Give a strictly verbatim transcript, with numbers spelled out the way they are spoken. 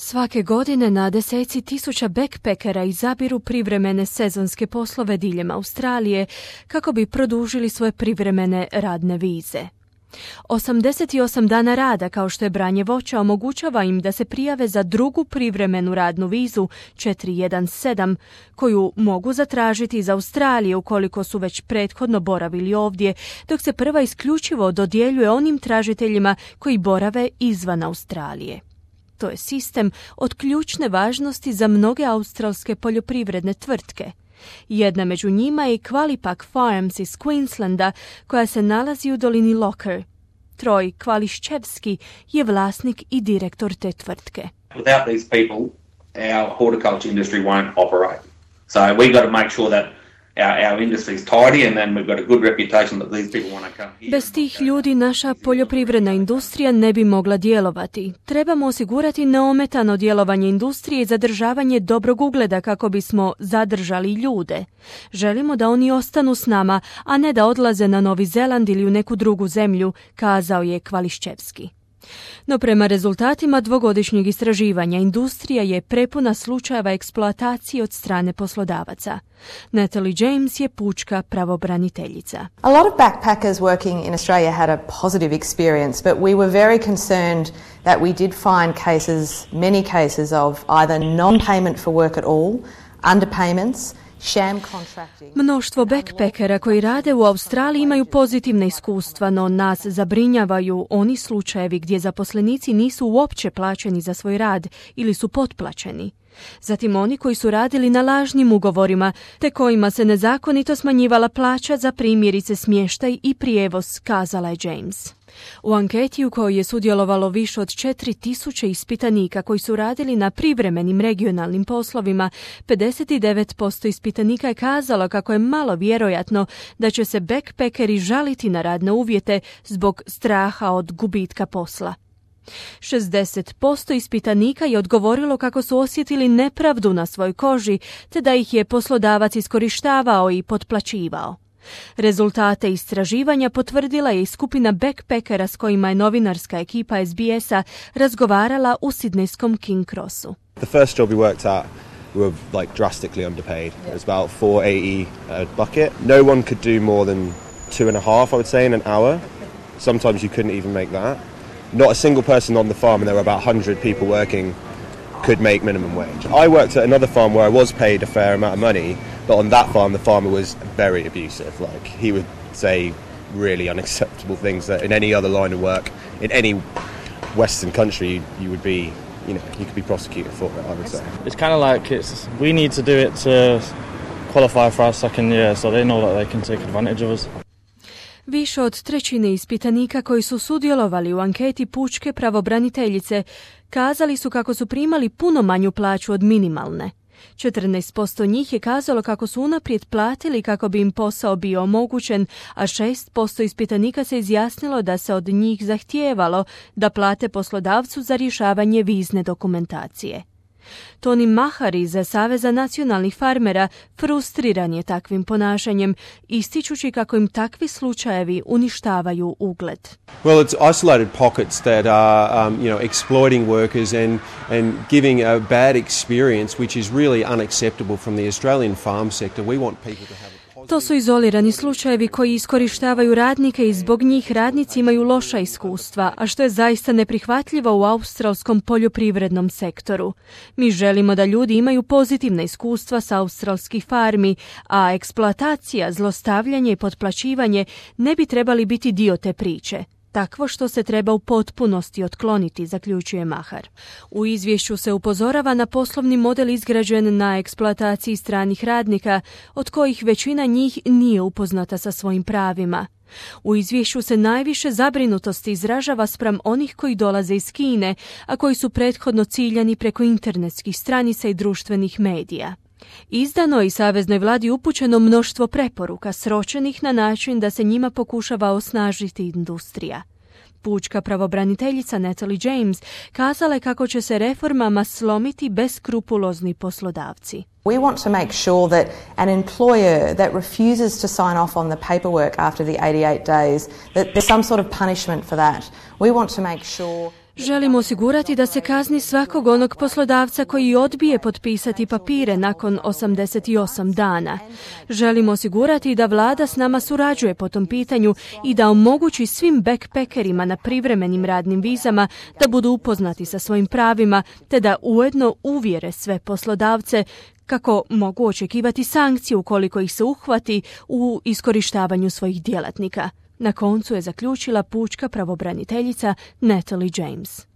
Svake godine na deseci tisuća backpackera izabiru privremene sezonske poslove diljem Australije kako bi produžili svoje privremene radne vize. osamdeset osam dana rada, kao što je branje voća, omogućava im da se prijave za drugu privremenu radnu vizu četiri jedan sedam, koju mogu zatražiti iz Australije ukoliko su već prethodno boravili ovdje, dok se prva isključivo dodjeljuje onim tražiteljima koji borave izvan Australije. To je sistem od ključne važnosti za mnoge australske poljoprivredne tvrtke. Jedna među njima je Qualipak Farms iz Queenslanda, koja se nalazi u dolini Locker. Troj Kvališčevski je vlasnik i direktor te tvrtke. Without these people, our horticulture industry won't operate. So we got to make sure that Our, our industry is tidy and then we've got a good reputation that these people want to come here. Bez tih ljudi naša poljoprivredna industrija ne bi mogla djelovati. Trebamo osigurati neometano djelovanje industrije i zadržavanje dobrog ugleda kako bismo zadržali ljude. Želimo da oni ostanu s nama, a ne da odlaze na Novi Zeland ili u neku drugu zemlju, kazao je Kvališčevski. No prema rezultatima dvogodišnjeg istraživanja, industrija je prepuna slučajeva eksploatacije od strane poslodavaca. Natalie James je pučka pravobraniteljica. A lot of backpackers working in Australia had a positive experience, but we were very concerned that we did find cases, many cases of either non-payment for work at all, underpayments, Mnoštvo backpackera koji rade u Australiji imaju pozitivne iskustva, no nas zabrinjavaju oni slučajevi gdje zaposlenici nisu uopće plaćeni za svoj rad ili su potplaćeni. Zatim oni koji su radili na lažnim ugovorima, te kojima se nezakonito smanjivala plaća za primjerice smještaj i prijevoz, kazala je James. U anketi u kojoj je sudjelovalo više od četiri tisuće ispitanika koji su radili na privremenim regionalnim poslovima, pedeset devet posto ispitanika je kazalo kako je malo vjerojatno da će se backpackeri žaliti na radne uvjete zbog straha od gubitka posla. šezdeset posto ispitanika je odgovorilo kako su osjetili nepravdu na svojoj koži, te da ih je poslodavac iskorištavao i potplaćivao. Rezultate istraživanja potvrdila je i skupina backpackera s kojima je novinarska ekipa S B S-a razgovarala u sidnejskom King Crossu. The first job we worked at, we were like drastically underpaid. It was about four eighty a bucket. No one could do more than two and a half, I would say, in an hour. Sometimes you couldn't even make that. Not a single person on the farm, and there were about one hundred people working, could make minimum wage. I worked at another farm where I was paid a fair amount of money, but on that farm the farmer was very abusive. Like, he would say really unacceptable things that in any other line of work, in any Western country, you would be, you know, you could be prosecuted for it, I would say. It's kind of like it's, we need to do it to qualify for our second year, so they know that they can take advantage of us. Više od trećine ispitanika koji su sudjelovali u anketi pučke pravobraniteljice kazali su kako su primali puno manju plaću od minimalne. četrnaest posto njih je kazalo kako su unaprijed platili kako bi im posao bio omogućen, a šest posto ispitanika se izjasnilo da se od njih zahtijevalo da plate poslodavcu za rješavanje vizne dokumentacije. Tony Mahar iz Saveza nacionalnih farmera frustriran je takvim ponašanjem, ističući kako im takvi slučajevi uništavaju ugled. Well, it's isolated pockets that are, um, you know, exploiting workers and and giving a bad experience, which is really unacceptable from the Australian farm sector. We want people to have. To su izolirani slučajevi koji iskorištavaju radnike i zbog njih radnici imaju loša iskustva, a što je zaista neprihvatljivo u australskom poljoprivrednom sektoru. Mi želimo da ljudi imaju pozitivna iskustva sa australskih farmi, a eksploatacija, zlostavljanje i potplaćivanje ne bi trebali biti dio te priče. Takvo što se treba u potpunosti otkloniti, zaključuje Mahar. U izvješću se upozorava na poslovni model izgrađen na eksploataciji stranih radnika, od kojih većina njih nije upoznata sa svojim pravima. U izvješću se najviše zabrinutosti izražava spram onih koji dolaze iz Kine, a koji su prethodno ciljani preko internetskih stranica i društvenih medija. Izdano je i saveznoj vladi upućeno mnoštvo preporuka sročenih na način da se njima pokušava osnažiti industrija. Pučka pravobraniteljica Natalie James kazala je kako će se reformama slomiti beskrupulozni poslodavci. We want to make sure that an employer that refuses to sign off on the paperwork after the eighty-eight days, that there's some sort of punishment for that. We want to make sure. Želimo osigurati da se kazni svakog onog poslodavca koji odbije potpisati papire nakon osamdeset osam dana. Želimo osigurati da vlada s nama surađuje po tom pitanju i da omogući svim backpackerima na privremenim radnim vizama da budu upoznati sa svojim pravima, te da ujedno uvjere sve poslodavce kako mogu očekivati sankcije ukoliko ih se uhvati u iskorištavanju svojih djelatnika. Na koncu je zaključila pučka pravobraniteljica Natalie James.